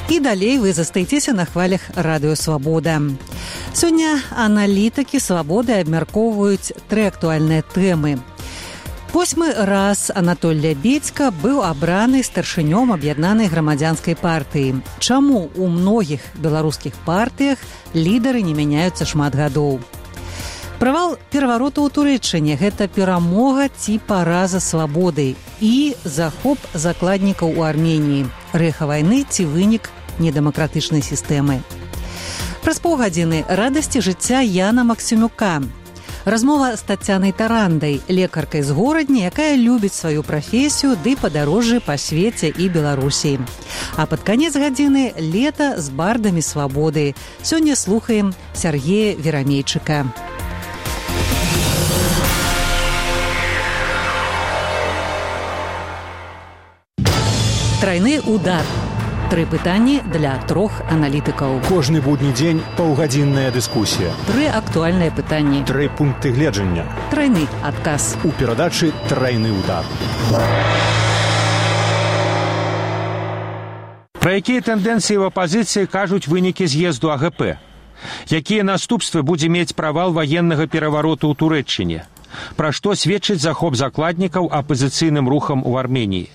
І далей вы застаецеся на хвалях Радыё Свабода. Сёння аналітыкі Свабоды абмяркоўваюць 3 актуальныя тэмы. 8 раз Анатоль Лябедзька быў абраны старшынём аб'яднанай грамадзянскай партыі. Чаму ў многіх беларускіх партыях лідары не мяняюцца шмат гадоў? Правал перавароту ў Турэччыне – гэта перамога ці параза свабоды і захоп закладнікаў у Арменіі, рэха вайны ці вынік недэмакратычнай сістэмы. Праз паўгадзіны радасці жыцця Яна Максімюка. Размова з Тацянай Тарандай, лекаркай з горадні, якая любіць сваю прафесію ды падарожжы па свеце і Беларусі. А пад канец гадзіны лета з бардамі свабоды. Сёння слухаем Сергея Верамейчыка. Трайны удар. 3 пытанні для 3 аналітыкаў. Кожны будні дзень паўгадзінная дыскусія. 3 актуальныя пытанні. 3 пункты гледжання. Трайны адказ. У перадачы «Трайны удар». Пра якія тэндэнцыі ў апазіцыі кажуць вынікі з'езду АГП? Якія наступствы будзе мець правал ваеннага перавароту ў Турэччыне? Пра што сведчыць захоп закладнікаў апазіцыйным рухам у Арменіі?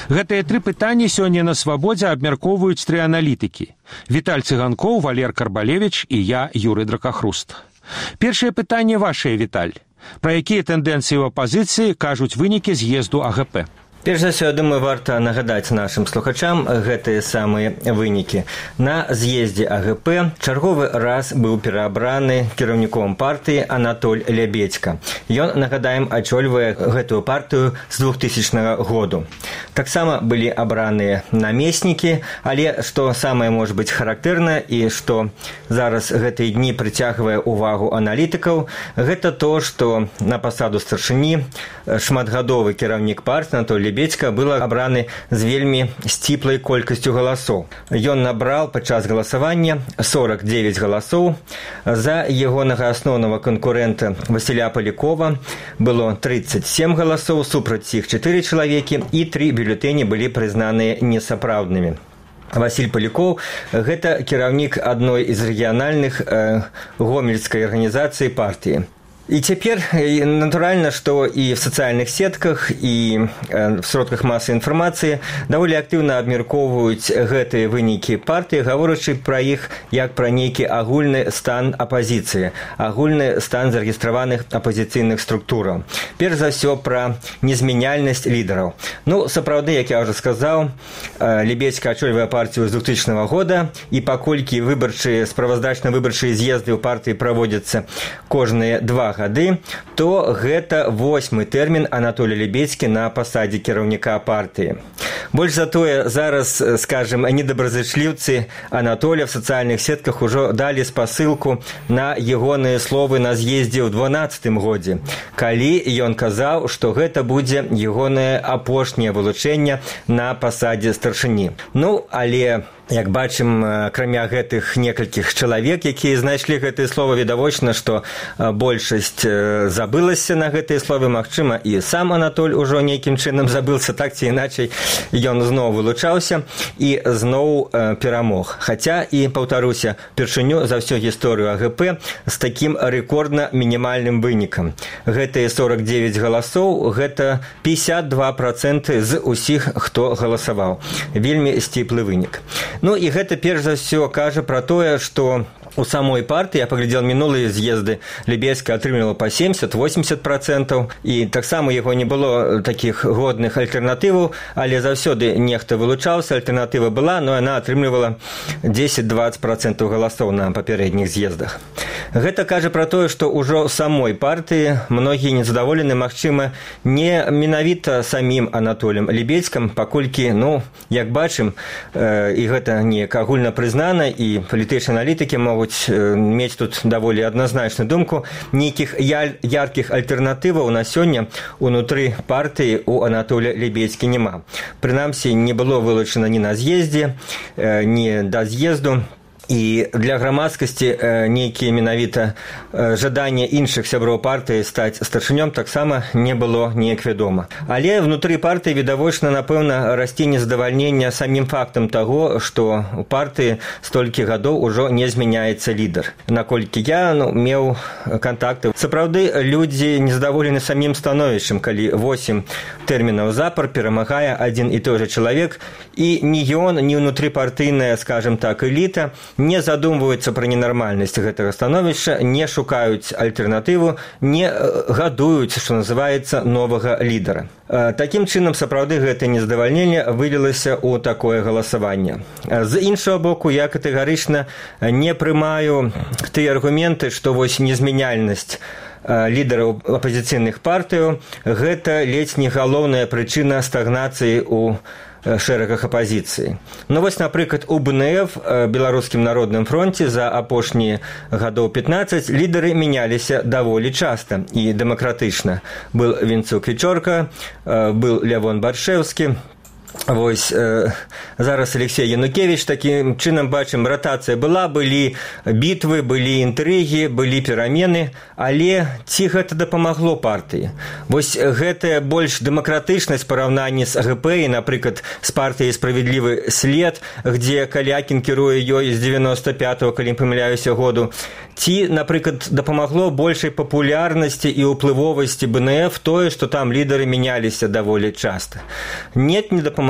Гэтыя 3 пытанні сёння на Свабодзе абмяркоўваюць 3 аналітыкі. Віталь Цыганкоў, Валер Карбалевіч і я, Юрый Дракахруст. Першае пытанне вашае, Віталь. Пра якія тэндэнцыі ў апазіцыі кажуць вынікі з'езду АГП? Перш за ўсё, думаю, варта нагадаць нашым слухачам гэтыя самыя вынікі. На з'ездзе АГП чарговы раз быў пераабраны кіраўніком партыі Анатоль Лябедзька. Ён, нагадаем, ачольвае гэтую партыю з 2000 году. Таксама былі абраныя намеснікі, але што самае можа быць характэрна і што зараз гэтыя дні прыцягвае ўвагу аналітыкаў, гэта то, што на пасаду старшыні шматгадовы кіраўнік партыі Анатоль Лябедзька быў абраны з вельмі сціплай колькасцю галасоў. Ён набраў падчас галасавання 49 галасоў. За ягонага асноўнага канкурэнта Васіля Палякова было 37 галасоў, супраць іх 4 чалавекі і 3 бюлетэні былі прызнаныя несапраўднымі. Васіль Палякоў – гэта кіраўнік адной з рэгіянальных гомельскай арганізацыі партыі. І цяпер, натуральна, што і в сацыяльных сетках, і в сродках масавай інфармацыі даволі актыўна абмяркоўваюць гэтыя вынікі партыі, гаворачы пра іх як пра нейкі агульны стан апазіцыі, агульны стан зарэгістраваных апазіцыйных структураў. Перш за ўсё пра незмяняльнасць лідараў. Ну, сапраўды, як я ўжо сказаў, Лябедзька ачольвае партыю з 2000 года, і паколькі справаздачна-выбарчыя з'езды ў партыі праводзяцца кожныя 2 гады, то гэта 8-й тэрмін Анатолія Лябедзькі на пасадзе кіраўніка партыі. Больш за тое, зараз, скажем, недобразычліўцы Анатолія в сацыяльных сетках ужо далі спасылку на ягоныя словы на з'ездзе ў 2012 годзе, калі ён казаў, што гэта будзе ягонае апошняе вылучэнне на пасадзе старшыні. Ну, але як бачым, акрамя гэтых некалькіх чалавек, якія знайшлі гэтыя словы, відавочна, што большасць забылася на гэтыя словы. Магчыма, і сам Анатоль ужо нейкім чынам забылся, так ці іначай ён зноў вылучаўся і зноў перамог. Хаця, і паўтаруся, першыню за ўсю гісторыю АГП з такім рэкордна мінімальным вынікам. Гэтыя 49 галасоў, гэта 52% з усіх, хто галасаваў. Вельмі сціплы вынік. Ну і гэта перш за ўсё кажа пра тое, што у самой партыі, я паглядзел мінулыя з'езды, Лябедзька атрымлівала па 70-80%, і таксама яго не было такіх годных альтэрнатываў, але заўсёды нехта вылучаўся, альтэрнатыва была, но яна атрымлівала 10-20% галасоў на папярэдніх з'ездах. Гэта кажа пра тое, што ўжо ў самой партыі многія незадаволены, магчыма, не менавіта самім Анатолем Лябедзькам, паколькі, ну, як бачым, і гэта неяк агульна прызнана, і палітычныя аналітыкі могуць мець тут даволі адназначную думку, нейкіх яркіх альтэрнатываў на сёння унутры партыі у Анатолія Лябедзькі няма. Прынамсі, не было вылучана ні на з'ездзе, ні да з'езду. і для грамадскасці нейкія менавіта жаданне іншых сяброў партыі стаць старшынём таксама не было неяк вядома. Але внутры партыі відавочна, напэўна, расце незадавальненне самім фактам таго, што у партыі столькі гадоў ужо не змяняецца лідар. Наколькі я меў кантакты, сапраўды людзі незадаволены самім становішчам, калі 8 тэрмінаў запар перамагае адзін і той жа чалавек, і ні ён, ні ўнутрыпартыйная, скажем так, эліта не задумваюцца пра ненармальнасць гэтага становішча, не шукаюць альтэрнатыву, не гадуюць, што называецца, новага лідара. Такім чынам, сапраўды, гэтае незадавальненне вылілася ў такое галасаванне. З іншага боку, я катэгарычна не прымаю тыя аргументы, што вось незмяняльнасць лідараў апазіцыйных партыяў гэта ледзь не галоўная прычына стагнацыі ў шэрагах апазіцыі. Вось, напрыклад, у БНФ, Беларускім народным фронце, за апошнія гадоў 15 лідары мяняліся даволі часта і дэмакратычна. Был Вінцук Вічорка, был Лявон Баршэўскі. Вось зараз Алексей Янукевич. Такім чынам бачым, ратацыя была, былі бітвы, былі інтрыгі, былі перамены, але ці гэта дапамагло партыі? Вось гэтая больш дэмакратычнасць параўнанні з АГП і, напрыклад, з партыяй «Справядлівы след», дзе Калякін кіруе ёй з 95-го, калі не памыляюся, году, ці, напрыклад, дапамагло большай папулярнасці і ўплывовасці БНФ тое, што там лідары мяняліся даволі часта? Нет, не дапамагло.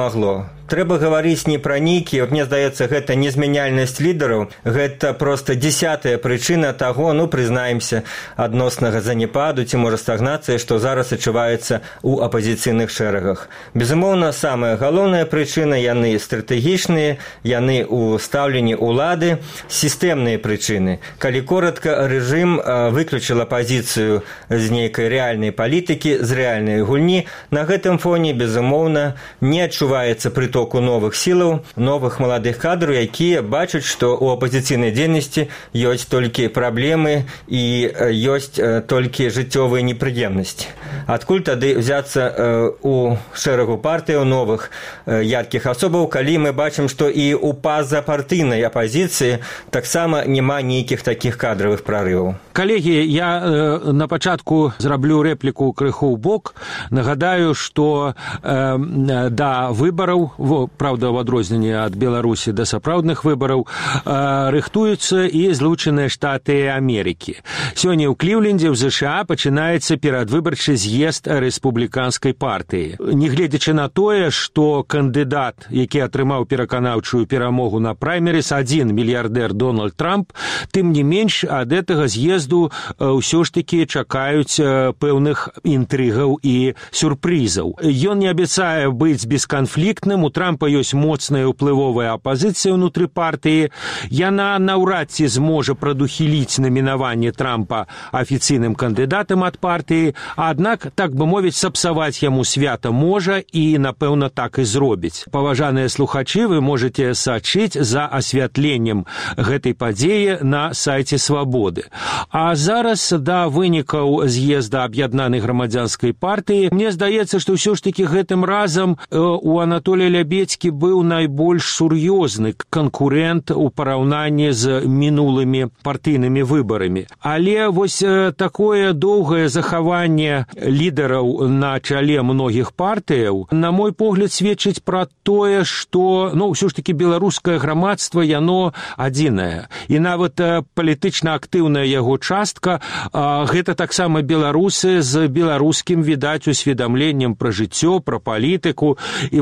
Трэба гаварыць не пра нейкія, мне здаецца, гэта незмяняльнасць лідараў, гэта проста 10-я прычына таго, прызнаемся, адноснага заняпаду ці, можа, стагнацыі, што зараз адчуваецца ў апазіцыйных шэрагах. Безумоўна, самая галоўная прычына, яны стратэгічныя, яны ў стаўленні ўлады, сістэмныя прычыны. Калі коратка, рэжым выключыў апазіцыю з нейкай рэальнай палітыкі, з рэальнай гульні. На гэтым фоне, безумоўна, не адчуваецца прыток новых сілаў, новых маладых кадраў, якія бачаць, што ў апазіцыйнай дзейнасці ёсць толькі праблемы і ёсць толькі жыццёвыя непрыемнасці. Адкуль тады взяцца у шэрагу партыяў новых яркіх асобаў, калі мы бачым, што і ў пазапартыйнай апазіцыі таксама няма нейкіх такіх кадравых прарываў. Калегі, я на пачатку зраблю рэпліку крыху ў бок. Нагадаю, што да выбараў, правда, в адрозненні ад Беларусі да сапраўдных выбараў, рыхтуюцца і Злучаныя Штаты Амерыкі. Сёння ў Кліўлендзе, ў ЗША, пачынаецца перадвыбарчы з'езд рэспубліканскай партыі. Нягледзячы на тое, што кандыдат, які атрымаў пераканаўчую перамогу на праймерыс, адзін мільярдэр Дональд Трамп, тым не менш ад гэтага з'езду ўсё ж такі чакаюць пэўных інтрыгаў і сюрпрызаў. Ён не абяцае быць бесканфліктным, у Трампа ёсць моцная ўплывовая апазіцыя ўнутры партыі. Яна наўрад ці зможа прадухіліць намінаванне Трампа афіцыйным кандыдатам ад партыі, аднак, так бы мовіць, сапсаваць яму свята можа і, напэўна, так і зробіць. Паважаныя слухачы, вы можаце сачыць за асвятленнем гэтай падзеі на сайце Свабоды. А зараз да вынікаў з'езда аб'яднанай грамадзянскай партыі. Мне здаецца, што ўсё ж такі гэтым разам у Анатолія Лябедзькі быў найбольш сур'ёзны канкурэнт у параўнанні з мінулымі партыйнымі выбарамі. Але вось такое доўгае захаванне лідараў на чале многіх партыяў, на мой погляд, сведчыць пра тое, што, ўсё ж такі беларускае грамадства, яно адзінае. І нават палітычна актыўная яго частка, гэта таксама беларусы з беларускім, відаць, усведамленнем пра жыццё, пра палітыку. І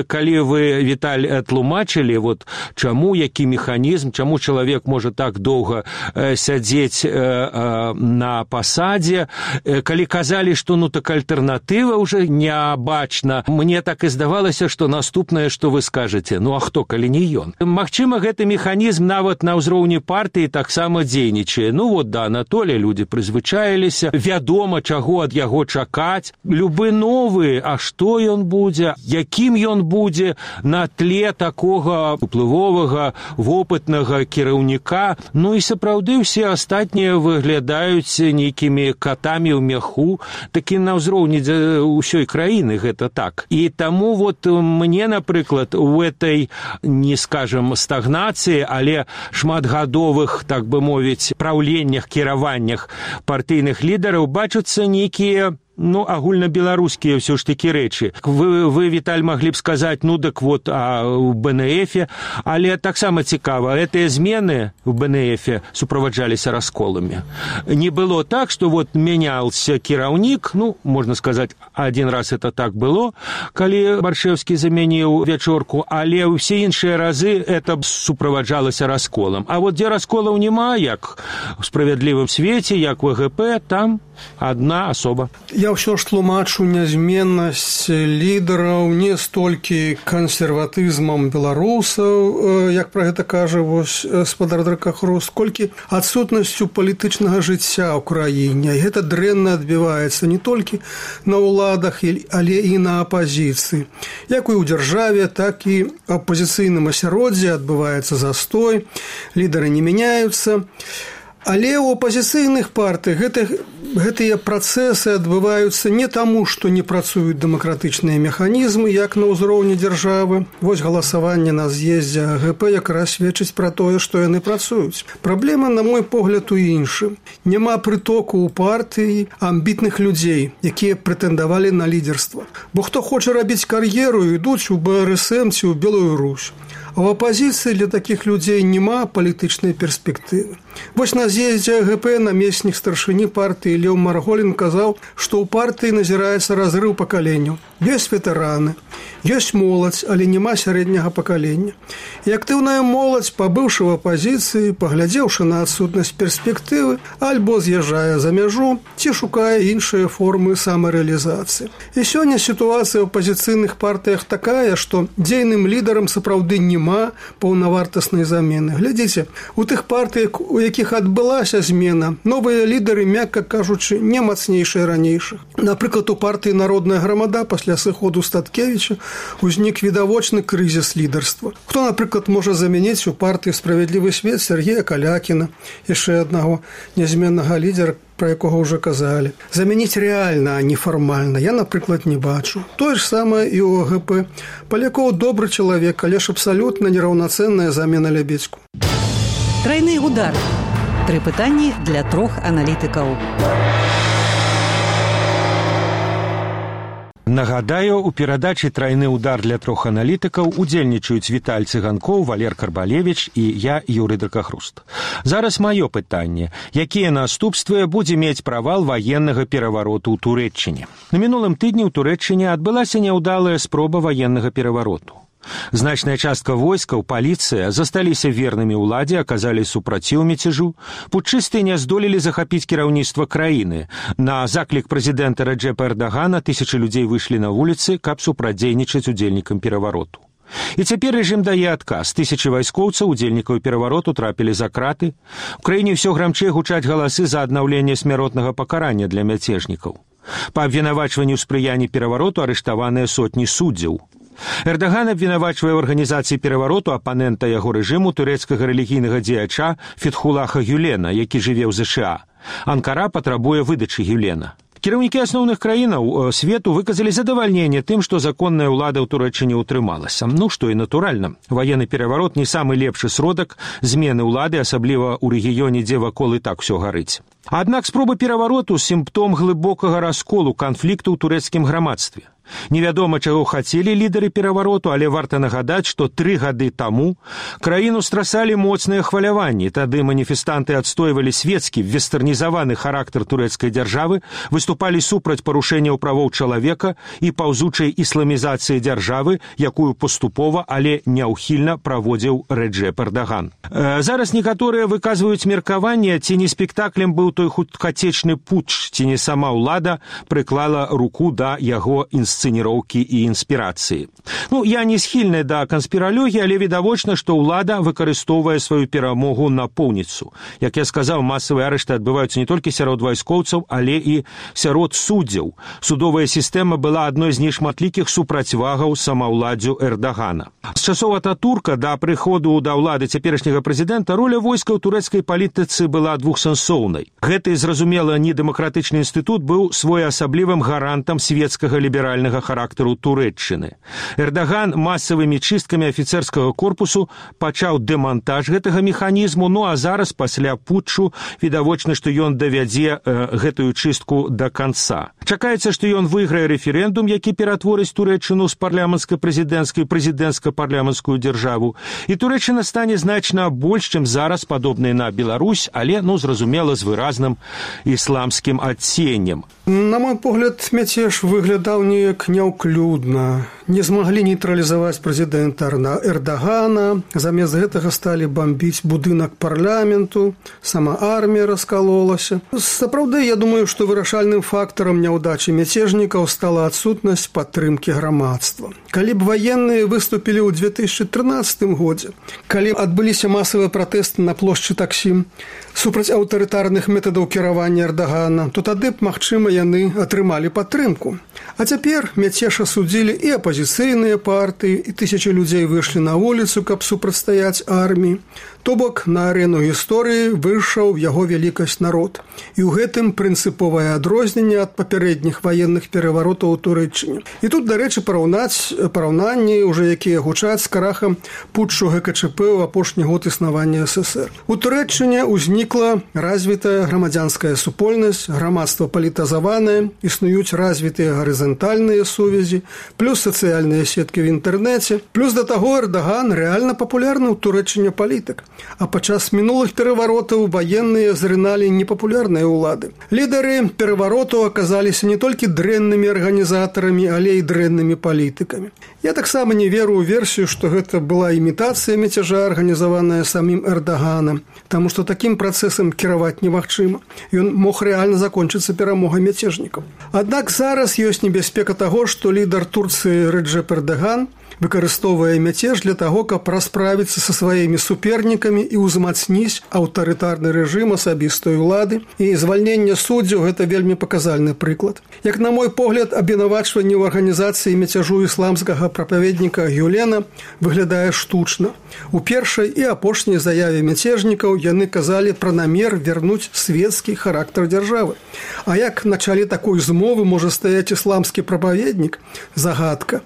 калі вы, Віталь, тлумачылі, чаму, які механізм, чаму чалавек можа так доўга сядзець на пасадзе, калі казалі, што так альтэрнатыва ўжо нябачна, мне так і здавалася, што наступнае, што вы скажаце, а хто, калі не ён? Магчыма, гэты механізм нават на ўзроўні партыі таксама дзейнічае. да Анатолія, людзі прызвычаіліся, вядома, чаго ад яго чакаць. Любы новы, а што ён будзе, якім ён будзе на тле такога уплывовага, вопытнага кіраўніка. Ну і сапраўды ўсе астатнія выглядаюць нейкімі катамі ў мяху, такі на ўзроўні ўсёй краіны гэта так. І таму вот мне, напрыклад, у этой, не скажем, стагнацыі, але шматгадовых, так бы мовіць, праўленнях, кіраваннях партыйных лідараў бачацца нейкія агульнабеларускія ўсё ж такі рэчы. Вы, Віталь, маглі б сказаць, так вот, у БНФ, але таксама цікава, гэтыя змены ў БНФ суправаджаліся расколамі. Не было так, што вот мяняўся кіраўнік, можна сказаць, один раз это так было, калі Баршэўскі замяніў Вячорку, але ўсе іншыя разы это суправаджалася расколам. А вот дзе расколаў няма, як у справядлівым свеце, як у ГП, там одна асоба. Я ўсё ж тлумачу нязменнасць лідараў не столькі кансерватызмам беларусаў, як пра гэта кажа спадар Дракахруст, колькі адсутнасцю палітычнага жыцця ў краіне. І гэта дрэнна адбіваецца не толькі на ўладах, але і на апазіцыі. Як і ў дзяржаве, так і ў апазіцыйным асяроддзі адбываецца застой, лідары не мяняюцца. Але ў апазіцыйных партыях гэтыя працэсы адбываюцца не таму, што не працуюць дэмакратычныя механізмы, як на ўзроўні дзяржавы. Вось галасаванне на з'ездзе АГП якраз сведчыць пра тое, што яны працуюць. Праблема, на мой погляд, у іншым. Няма прытоку ў партыі амбітных людзей, якія прэтэндавалі на лідарства. Бо хто хоча рабіць кар'еру, ідуць у БРСМ ці ў Белую Русь. А в апозіцыі для такіх людзей няма палітычнай перспектывы. Вось на з'ездзе АГП намеснік старшыні партыі Леў Марголін казаў, што ў партыі назіраецца разрыў пакаленняў. Ёсць ветэраны, ёсць моладзь, але няма сярэдняга пакалення. І актыўная моладзь, пабыўшы ў апозіцыі, паглядзеўшы на адсутнасць перспектывы, альбо з'язджае за мяжу, ці шукае іншыя формы самарэалізацыі. І сёння сітуацыя ў апозіцыйных партыях такая, што дзейным лідарам сапраўды няма паўнавартаснай замены. Глядзіце, у тых партыях, у якіх адбылася змена, новыя лідары, мякка кажучы, не мацнейшыя ранейшых. Напрыклад, у партыі «Народная грамада» пасля сыходу Статкевіча узнік відавочны крызіс лідарства. Хто, напрыклад, можа замяніць у партыі «Справядлівы свет» Сергея Калякіна, яшчэ аднаго нязменнага лідера, про якого ўжо казалі. Замяніць рэальна, а не фармальна, я, напрыклад, не бачу. Тое ж самае і ў АГП. Палякоў добры чалавек, але ж абсалютна нераўнацэнная замена Лябедзьку. Трайны удар. 3 пытанні для 3 аналітыкаў. Нагадаю, у перадачы «Трайны удар» для 3 аналітыкаў удзельнічаюць Віталь Цыганкоў, Валер Карбалевіч і я, Юрый Дракахруст. Зараз маё пытанне. Якія наступствы будзе мець правал ваеннага перавароту ў Турэччыне? На мінулым тыдні ў Турэччыне адбылася няўдалая спроба ваеннага перавароту. Значная частка войскаў, паліцыя засталіся вернымі ўладзе, аказалі супраціў мяцежу. Путчысты не здолелі захапіць кіраўніцтва краіны. На заклік прэзідэнта Рэджэпа Эрдагана тысячы людзей выйшлі на вуліцы, каб супрацьдзейнічаць удзельнікам перавароту. І цяпер рэжым дае адказ. Тысячы вайскоўцаў, удзельнікаў перавароту, трапілі за краты. У краіне ўсё грамчэй гучаць галасы за аднаўленне смяротнага пакарання для мяцежнікаў. Па абвінавачванню спрыяння перавароту арыштаваныя сотні суддзяў. Эрдаган абвінавачвае ў арганізацыі перавароту апанента яго рэжыму турэцкага рэлігійнага дзеяча Фетхулаха Гюлена, які жыве ў ЗША. Анкара патрабуе выдачы Гюлена. Кіраўнікі асноўных краінаў свету выказалі задавальненне тым, што законная ўлада ў Турэччыне ўтрымалася. Што і натуральна. Ваенны пераварот не самы лепшы сродак змены ўлады, асабліва ў рэгіёне, дзе вакол і так усё гарыць. Аднак спроба перавароту – сімптом глыбокага расколу канфлікту ў турэцкім грамадстве. Невядома, чаго хацелі лідары перавароту, але варта нагадаць, што 3 гады таму краіну страсалі моцныя хваляванні. Тады маніфестанты адстойвалі свецкі, вестэрнізаваны характар турэцкай дзяржавы, выступалі супраць парушэнняў правоў чалавека і паўзучай ісламізацыі дзяржавы, якую паступова, але няўхільна праводзіў Рэджэп Эрдаган. Зараз некаторыя выказваюць меркаванне, ці не спектаклем быў той хуткацечны путч, ці не сама ўлада прыклала руку да яго інсцэнацыі. інсцэніроўкі і інспірацыі. Я не схільны да канспіралогіі, але відавочна, што ўлада выкарыстоўвае сваю перамогу напоўніцу. Як я сказаў, масавыя арышты адбываюцца не толькі сярод вайскоўцаў, але і сярод суддзяў. Судовая сістэма была адной з нешматлікіх супрацьвагаў самаўладдзю Эрдагана. З часоў Ататурка да прыходу да ўлады цяперашняга прэзідэнта роля войска ў турэцкай палітыцы была двухсэнсоўнай. Гэты, зразумела, недэмакратычны інстытут быў своеасаблівым гарантам светскага ліберальнага характару Турэччыны. Эрдаган масавымі чысткамі афіцэрскага корпусу пачаў дэмантаж гэтага механізму, а зараз, пасля путчу, відавочна, што ён давядзе гэтую чыстку да канца. Чакаецца, што ён выйграе рэферэндум, які ператворыць Турэччыну з парламенцка-прэзідэнцкай прэзідэнцка-парламенцкую дзяржаву, і Турэччына стане значна больш, чым зараз падобнай на Беларусь, але, зразумела, з выразным ісламскім адценнем. На мой погляд, мяцеж выглядаў неяк няўклюдна. Не змаглі нейтралізаваць прэзідэнта Эрдагана, замест гэтага сталі бамбіць будынак парламенту, сама армія раскалолася. Сапраўды, я думаю, што вырашальным фактарам няўдачы мяцежнікаў стала адсутнасць падтрымкі грамадства. Калі б ваенныя выступілі ў 2013 годзе, калі адбыліся масавыя пратэсты на плошчы Таксім супраць аўтарытарных метадаў кіравання Эрдагана, то тады б, магчыма, яны атрымалі падтрымку. А цяпер мяцеж асудзілі і апазіцыйныя партыі, і тысячы людзей выйшлі на вуліцу, каб супрацьстаяць арміі. То бок, на арену гісторыі выйшаў яго вялікасць народ. І ў гэтым прынцыповае адрозненне ад папярэдніх ваенных пераваротаў у Турэччыне. І тут, дарэчы, параўнанні, уже якія гучаць з крахам путчу ГКЧП ў апошні год існавання СССР. У Турэччыне ўзнікла развітая грамадзянская супольнасць, грамадства палітазаванае, існуюць развітыя гарызантальныя сувязі, плюс сацыяльныя сеткі в інтэрнэце, плюс да таго Эрдаган рэальна папулярны ў Турэччыне палітык. А падчас мінулых пераваротаў ваенныя зрыналі непапулярныя ўлады. Лідары пераваротаў аказаліся не толькі дрэннымі арганізатарамі, але і дрэннымі палітыкамі. Я таксама не веру ў версію, што гэта была імітацыя мяцежа, арганізаваная самім Эрдаганам, таму што такім працэсам кіраваць немагчыма. Ён мог рэальна закончыцца перамогай мяцежнікаў. Аднак зараз ёсць небяспека таго, што лідар Турцыі Рэджэп Эрдаган выкарыстоўвае мяцеж для таго, каб расправіцца са сваімі супернікамі і ўзмацніць аўтарытарны рэжым асабістай улады. І звальненне суддзяў – гэта вельмі паказальны прыклад. Як на мой погляд, абвінавачванне ў арганізацыі мяцяжу ісламскага прапаведніка Гюлена выглядае штучна. У першай і апошняй заяве мяцежнікаў яны казалі пра намер вярнуць светскі характар дзяржавы. А як на чале такой змовы можа стаяць ісламскі прапаведнік? Загадка.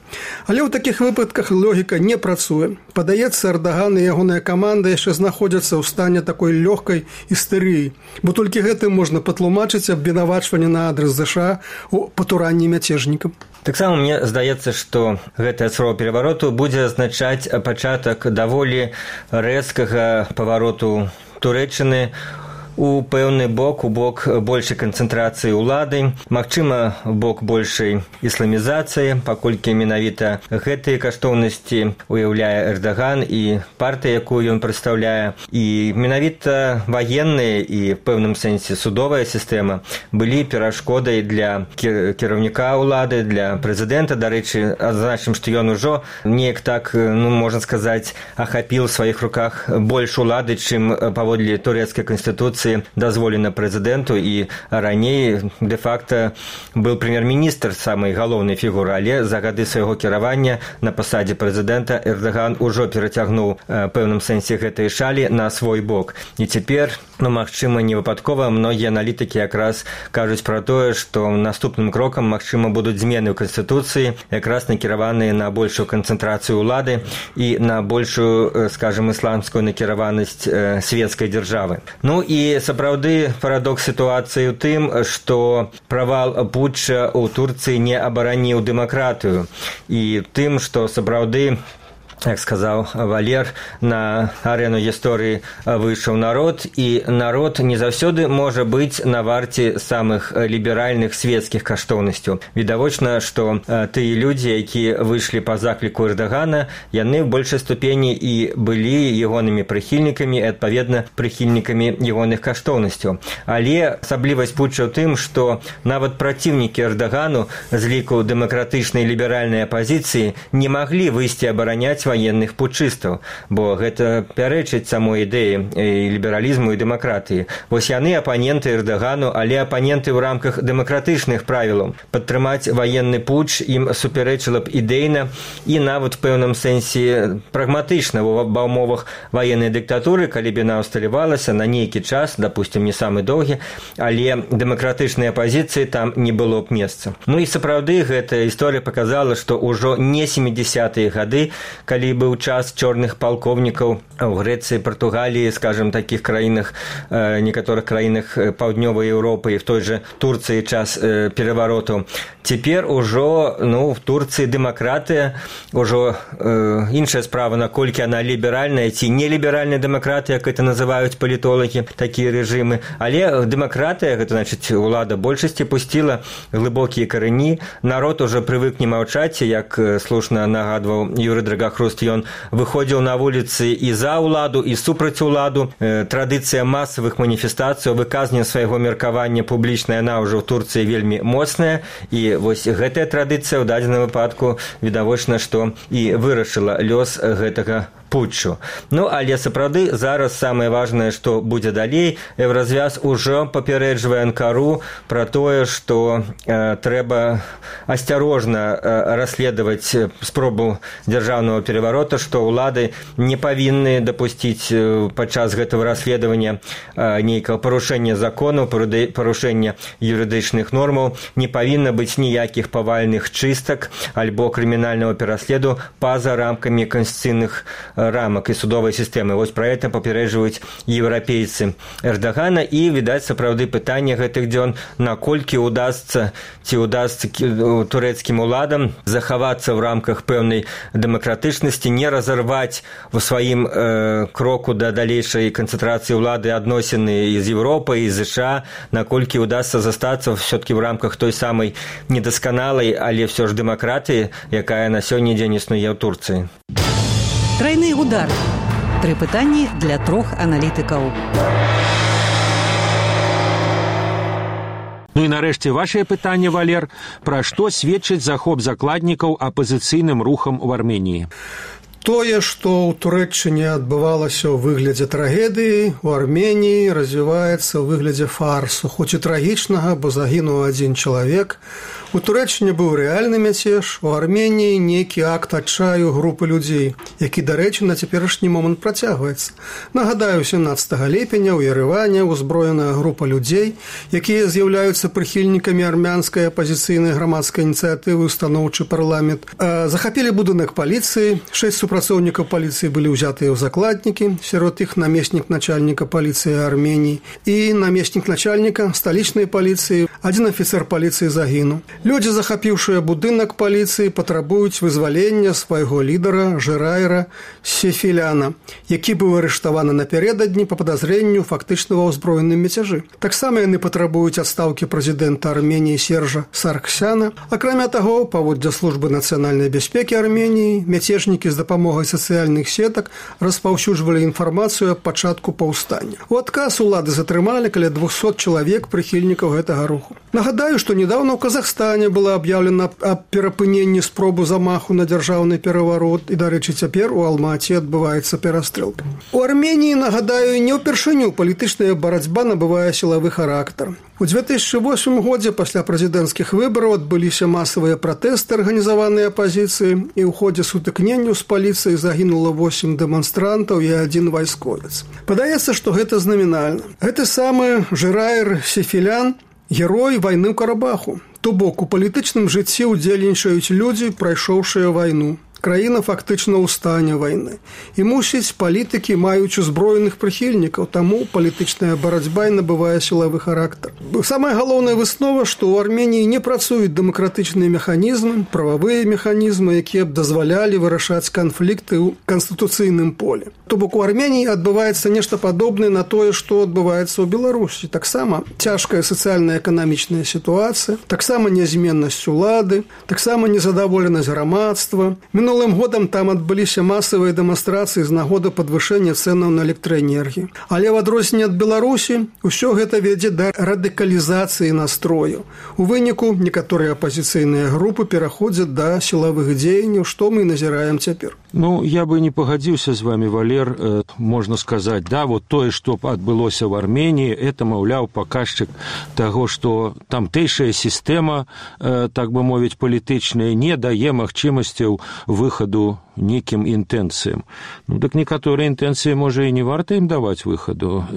Але ў такіх выпадках логіка не працуе. Падаецца, Эрдаган і ягоная каманда яшчэ знаходзяцца ў стане такой лёгкай істэрыі, бо толькі гэтым можна патлумачыць абвінавачванне на адрас ЗША у патуранні мяцежнікам. Таксама мне здаецца, што гэтая спроба перавароту будзе азначаць пачатак даволі рэзкага павароту Турэччыны у пэўны бок, у бок большай канцэнтрацыі ўлады, магчыма, бок большай ісламізацыі, паколькі менавіта гэтыя каштоўнасці уяўляе Эрдаган і партыя, якую ён прадстаўляе. І менавіта ваенныя і в пэўным сэнсе судовая сістэма былі перашкодай для кіраўніка ўлады, для прэзідэнта. Дарэчы, адзначым, што ён ужо неяк так, можна сказаць, ахапіў у сваіх руках больш улады, чым паводле турэцкай канстытуцыі дазволена прэзідэнту, і раней де-факта быў прэм'ер-міністр самай галоўнай фігуры, але за гады свайго кіравання на пасадзе прэзідэнта Эрдаган ужо перацягнуў пэўным сэнсе гэтай шалі на свой бок. І цяпер, магчыма, не выпадкова, многія аналітыкі якраз кажуць пра тое, што наступным крокам, магчыма, будуць змены ў канстытуцыі, якраз накіраваныя на большую канцэнтрацыю ўлады і на большую, скажем, ісламскую накіраванасць светскай дзяржавы. І сапраўды парадокс сітуацыі ў тым, што правал путча ў Турцыі не абараніў дэмакратыю, і тым, што сапраўды як сказаў Валер, на арэну гісторыі выйшаў народ, і народ не заўсёды можа быць на варце самых ліберальных светскіх каштоўнасцяў. Відавочна, што тыя людзі, якія выйшлі па закліку Эрдагана, яны ў большай ступені і былі ягонымі прыхільнікамі, і, адпаведна, прыхільнікамі ягоных каштоўнасцяў. Але асаблівасць путча ў тым, што нават праціўнікі Эрдагану з ліку дэмакратычнай ліберальнай апазіцыі не маглі выйсці абараняць ваенных путчыстаў, бо гэта пярэчыць самой ідэі лібералізму і дэмакратыі. Вось яны апаненты Эрдагану, але апаненты ў рамках дэмакратычных правілаў. Падтрымаць ваенны путч ім супярэчыла б ідэйна і нават в пэўным сэнсе прагматычна ва ўмовах ваеннай дыктатуры, калі б яна ўсталявалася на нейкі час, допустим, не самы доўгі, але дэмакратычнай апазіцыі там не было б месца. Ну і сапраўды гэтая гісторыя паказала, што ўжо не 70-е гады, калі быў час чорных палкоўнікаў у Грэцыі, Партугаліі, скажем, такіх краінах, некаторых краінах паўднёвай Еўропы і в той же Турцыі час перавароту. Цяпер ужо, в Турцыі дэмакратыя, ужо іншая справа, наколькі яна ліберальная ці неліберальная дэмакратыя, як это называюць палітолагі, такія рэжымы. Але дэмакратыя, гэта значыць, улада большасці пусціла глыбокія карэні, народ ужо прывык не маўчаць, як слушна нагадваў Юрый Драгахруст, ён выходзіў на вуліцы і за ўладу, і супраць уладу. Традыцыя масавых маніфестацый, выказвання свайго меркавання публічна, яна ўжо ў Турцыі вельмі моцная, і вось гэтая традыцыя ў дадзеным выпадку відавочна, што і вырашыла лёс гэтага путчу. Але сапраўды зараз самае важнае, што будзе далей. Еўразвяз ужо папярэджвае Анкару пра тое, што трэба асцярожна расследаваць спробу дзяржаўнага пераварота, што ўлады не павінны дапусціць падчас гэтага расследавання нейкага парушэння законаў, парушэння юрыдычных нормаў, не павінна быць ніякіх павальных чыстак альбо крымінальнага пераследу па-за рамкамі канстытуцыйных рамак і судовай сістэмы. Вось пра гэта папярэджваюць еўрапейцы Эрдагана, і, відаць, сапраўды пытанне гэтых дзён, наколькі ўдасца турэцкім уладам захавацца ў рамках пэўнай дэмакратычнасці, не разарваць у сваім кроку да далейшай канцэнтрацыі ўлады адносіны з Еўропай, і ЗША, наколькі ўдасца застацца ўсё-такі ў рамках той самай недасканалай, але ўсё ж дэмакратыі, якая на сёння дзень існуе ў Турцыі. Тройны удар. 3 пытанні для 3 аналітыкаў. І нарэшце вашае пытанне, Валер, пра што сведчыць захоп закладнікаў апазіцыйным рухам у Арменіі? Тое, што ў Турэччыне адбывалася ў выглядзе трагедыі, у Арменіі развіваецца ў выглядзе фарсу, хоць і трагічнага, бо загінуў адзін чалавек. У Турэччыне быў рэальны мяцеж, у Арменіі нейкі акт адчаю групы людзей, які, дарэчы, на цяперашні момант працягваецца. Нагадаю, 17 ліпеня ў Ерэване узброеная група людзей, якія з'яўляюцца прыхільнікамі армянскай апазіцыйнай грамадскай ініцыятывы «Устаноўчы парламент», захапілі будынак паліцыі, 6 супрацоўнікаў паліцыі былі ўзятыя ў закладнікі, сярод іх намеснік начальніка паліцыі Арменіі і намеснік начальніка сталічнай паліцыі, адзін афіцэр паліцыі загінуў. Людзі, захапіўшыя будынак паліцыі, патрабуюць вызвалення свайго лідара Жираіра Сефіляна, які быў арыштаваны напярэдадні па падазрэнню фактычна ва ўзброеным мяцяжы. Таксама яны патрабуюць адстаўкі прэзідэнта Арменіі Сержа Сарксяна. Акрамя таго, паводле службы нацыянальнай бяспекі Арменіі, мяцежнікі з дапамогай сацыяльных сетак распаўсюджвалі інфармацыю аб пачатку паўстання. У адказ улады затрымалі каля 200 чалавек прыхільнікаў гэтага руху. Нагадаю, што недаўна ў Казахстане было аб'яўлена аб перапыненні спробу замаху на дзяржаўны пераварот, і, дарэчы, цяпер у Алмаці адбываецца перастрэлка. У Арменіі, нагадаю, не ўпершыню палітычная барацьба набывае сілавы характар. У 2008 годзе пасля прэзідэнцкіх выбараў адбыліся масавыя пратэсты, арганізаваныя апазіцыі, і ў ходзе сутыкненняў з паліцыяй загінула 8 дэманстрантаў і 1 вайсковец. Падаецца, што гэта знамінальна. Гэты самы Жираір Сефілян герой вайны ў Карабаху. То бок, у палітычным жыцці ўдзельнічаюць людзі, прайшоўшыя вайну. краіна фактычна ў стане вайны. І мусіць, палітыкі маюць узброеных прыхільнікаў, таму палітычная барацьба і набывае сілавы характар. Самая галоўная выснова, што ў Арменіі не працуюць дэмакратычныя механізмы, прававыя механізмы, якія б дазвалялі вырашаць канфлікты ў канстытуцыйным поле. То бок у Арменіі адбываецца нешта падобнае на тое, што адбываецца ў Беларусі. Таксама цяжкая сацыяльна-эканамічная сітуацыя, таксама нязменнасць улады, таксама незадаволенасць грамадства. Мінулым годам там адбыліся масавыя дэманстрацыі з нагоды падвышэння цэнаў на электраэнергію. Але ў адрозненне ад Беларусі ўсё гэта вядзе да радыкалізацыі настрою. У выніку некаторыя апазіцыйныя групы пераходзяць да сілавых дзеянняў, што мы назіраем цяпер. Ну, я бы не пагадзіўся з вами, Валер. Можна сказаць, да, вот тое, што адбылося ў Арменіі, это, маўляў, паказчык таго, што тамтэйшая сістэма, так бы мовіць, палітычная, не дае магчымасцяў выхаду нейкім інтэнцыям. Ну, так некаторыя інтэнцыі, можа, і не варта ім даваць выхаду.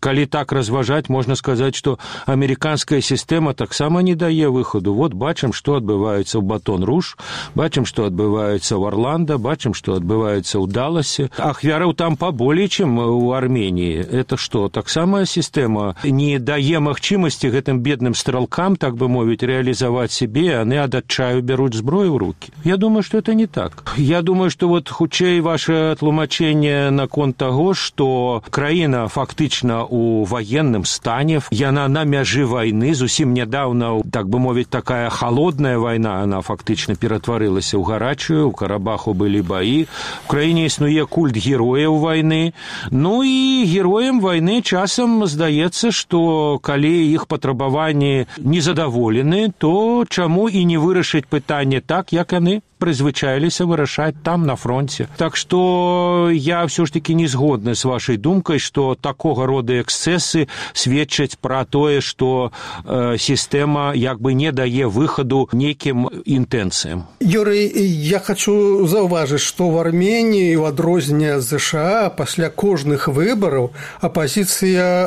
Калі так разважаць, можна сказаць, што амерыканская сістэма таксама не дае выхаду. Вот бачым, што адбываецца ў Батон-Руж, бачым, што адбываецца ў Орландо, бачым, што адбываецца ў Даласе. Ахвяраў там паболей, чым у Арменіі. Это што, таксама сістэма не дае магчымасці гэтым бедным стралкам, так бы мовіць, реалізаваць сябе, а яны ад адчаю бяруць зброю ў рукі. Я думаю, што это не так. Я думаю, што вот хутчэй ваше тлумачэнне наконт таго, што краіна фактычна ў ваенным стане, яна на мяжы вайны, зусім нядаўна, так бы мовіць, такая халодная вайна, она фактычна ператварылася ў гарачую, у Карабаху былі баі, у краіне існуе культ герояў вайны, ну і героям вайны часам здаецца, што калі іх патрабаванні незадаволены, то чаму і не вырашыць пытанне так, як яны прызвычаіліся вырашаць там, на фронте. Так што я ўсё ж такі не згодны з вашай думкай, што такога рода эксцэсы сведчаць пра тое, што сістэма як бы не дае выхаду нейкім інтэнцыям. Юрый, я хочу заўважыць, што ў Арменіі ў адрозненне ад ЗША пасля кожных выбараў апазіцыя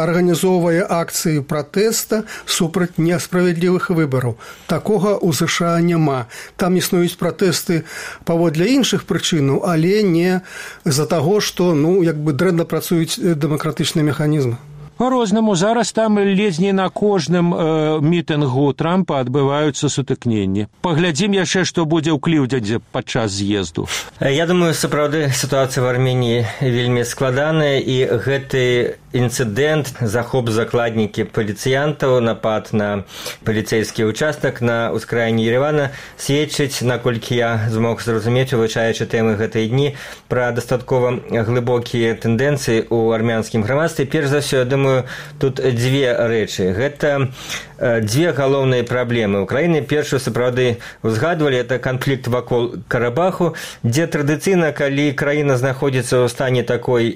арганізоўвае акцыі пратэста супраць несправядлівых выбараў. Такога ў ЗША няма. Там існуюць пратэсты паводле іншых прычынаў, але не з-за таго, што як бы дрэнна працуюць дэмакратычныя механізмы. По-рознаму. Зараз там ледзь не на кожным мітынгу Трампа адбываюцца сутыкненні. Паглядзім яшчэ, што будзе ў Кліўдзендзе падчас з'езду. Я думаю, сапраўды сітуацыя в Арменіі вельмі складаная, і гэты інцыдэнт, захоп закладнікі паліцыянтаў, напад на паліцэйскі ўчастак на ўскраіне Еревана сведчыць, наколькі я змог зразумець, вывучаючы тэмы гэтай дні, пра дастаткова глыбокія тэндэнцыі ў армянскім грамадстве. Перш за ўсё, я думаю, тут дзве рэчы. Гэта дзве галоўныя праблемы. Украіны першую сапраўды узгадвалі, это канфлікт вакол Карабаху, дзе традыцыйна, калі краіна знаходзіцца ў стане такой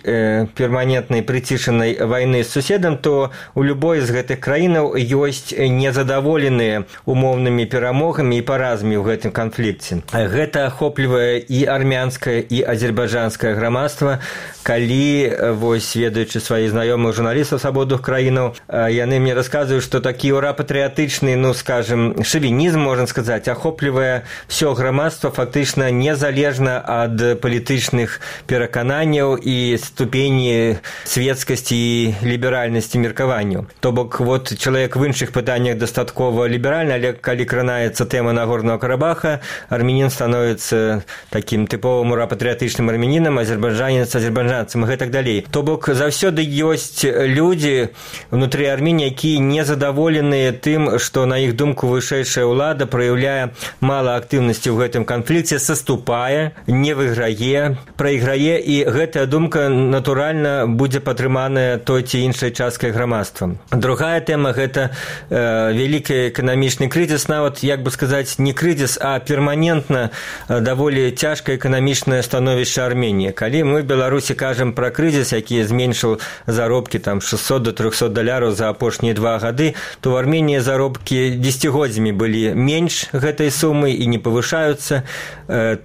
перманентнай прыцішанай вайны з суседам, то у любой з гэтых краінаў ёсць незадаволеныя умоўнымі перамогамі і паразамі ў гэтым канфлікце. Гэта ахоплівае і армянскае, і азербайджанскае грамадства. Калі, вось, ведаючы сваіх знаёмых журналістаў з абодвух краінаў, яны мне расказваюць, што такі патрыятычны, скажем, шавінізм, можна сказаць, ахоплівае всё грамадства фактычна незалежна ад палітычных перакананняў і ступені светскасці і ліберальнасці меркаванняў. То бок, вот, чалавек в іншых пытаннях дастаткова ліберальны, але калі кранаецца тэма Нагорнага Карабаха, армянін становіцца такім тыповым урапатрыятычным армянінам, азербайджанец азербайджанцам і гэтак далей. То бок, заўсёды ёсць людзі внутры Арменіі, якія незадаволеныя тым, што, на іх думку, вышэйшая ўлада праяўляе мала актыўнасці ў гэтым канфлікце, саступае, не выйграе, прайграе, і гэтая думка, натуральна, будзе падтрыманая той ці іншай часткай грамадства. Другая тэма – гэта вялікі эканамічны крызіс, нават, як бы сказаць, не крызіс, а перманентна даволі цяжкае эканамічнае становішча Арменіі. Калі мы в Беларусі кажам пра крызіс, які зменшыў заробкі там 600 до 300 доляраў за апошнія 2 гады, то в Армении заробкі дзесяцігоддзямі былі менш гэтай сумы і не павышаюцца.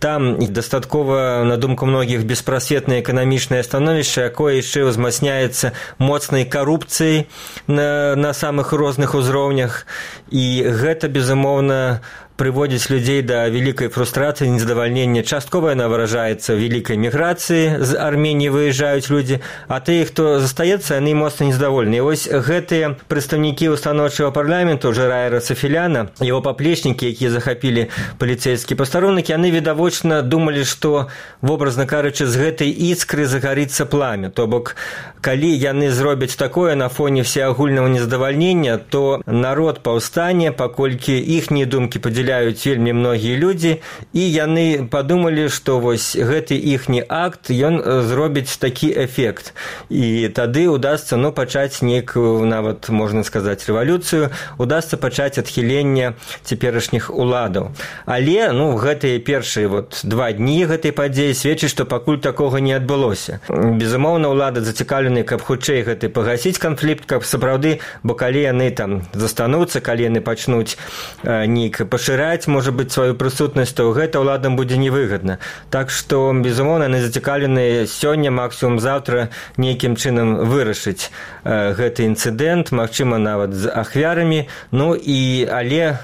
Там дастаткова, на думку многіх, беспрасветнае эканамічнае становішча, якое яшчэ ўзмацняецца моцнай карупцыяй на самых розных узроўнях. І гэта, безумоўна, прыводзіць людзей да вялікай фрустрацыі, незадавальнення. Часткова яна выражаецца вялікай міграцыі, з Арменіі выязджаюць людзі, а тыя, хто застаецца, яны моцна незадаволеныя. Вось гэтыя прадстаўнікі устаноўчага парламенту, Жираера Сафіляна, яго паплечнікі, якія захапілі паліцэйскі пастарунак, яны відавочна думалі, што, вобразна кажучы, з гэтай іскры загарыцца пламя. То бок, калі яны зробяць такое на фоне всеагульнага незадавальнення, то народ паўстане, паколькі іхнія думкі падзяляюць вельмі многія людзі, і яны падумалі, што вось гэты іхні акт, ён зробіць такі эфект. І тады удасца, пачаць нейкую, нават, можна сказаць, рэвалюцыю, удасца пачаць адхіленне цяперашніх уладаў. Але, гэтыя першыя 2 дні гэтай падзеі сведчаць, што пакуль такога не адбылося. Безумоўна, улада зацікаўленая, каб хутчэй гэты пагасіць канфлікт, каб сапраўды, бо калі яны там застануцца, калі яны пачнуць нейк пашыраць, можа быць, сваю прысутнасць, то гэта ўладам будзе невыгадна. Так што, безумоўна, яны зацікаўленыя сёння, максімум заўтра, нейкім чынам вырашыць гэты інцыдэнт, магчыма, нават з ахвярамі. Але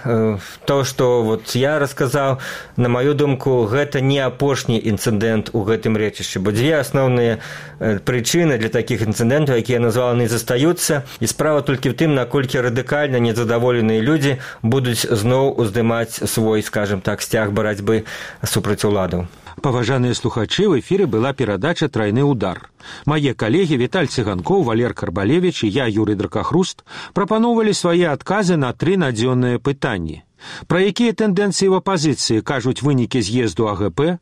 то, што я расказаў, на маю думку, гэта не апошні інцыдэнт у гэтым рэчышчы, бо 2 асноўныя прычыны для такіх інцыдэнтаў, якія названы, застаюцца, і справа толькі в тым, наколькі радыкальна незадаволеныя людзі будуць зноў уздымаць свой, скажем так, сцяг барацьбы супраць уладаў. Паважаныя слухачы, в эфіры была перадача «Трайны удар». Мае калегі Віталь Цыганкоў, Валер Карбалевіч і я, Юрый Дракахруст, прапаноўвалі свае адказы на 3 надзённыя пытанні. Пра якія тэндэнцыі ў апазіцыі кажуць вынікі з'езду АГП,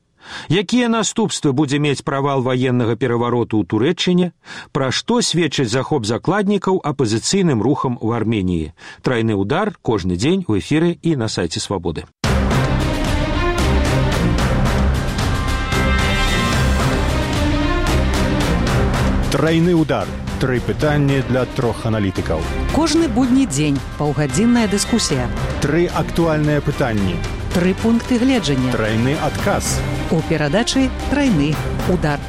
якія наступствы будзе мець правал ваеннага перавароту ў Турэччыне, пра што сведчыць захоп закладнікаў апазіцыйным рухам у Арменіі. «Трайны удар» кожны дзень у эфіры і на сайце Свабоды. Трайны удар. 3 пытанні для 3 аналітыкаў. Кожны будні дзень паўгадзінная дыскусія. 3 актуальныя пытанні. 3 пункты гледжання. Трайны адказ. У перадачы «Трайны удар».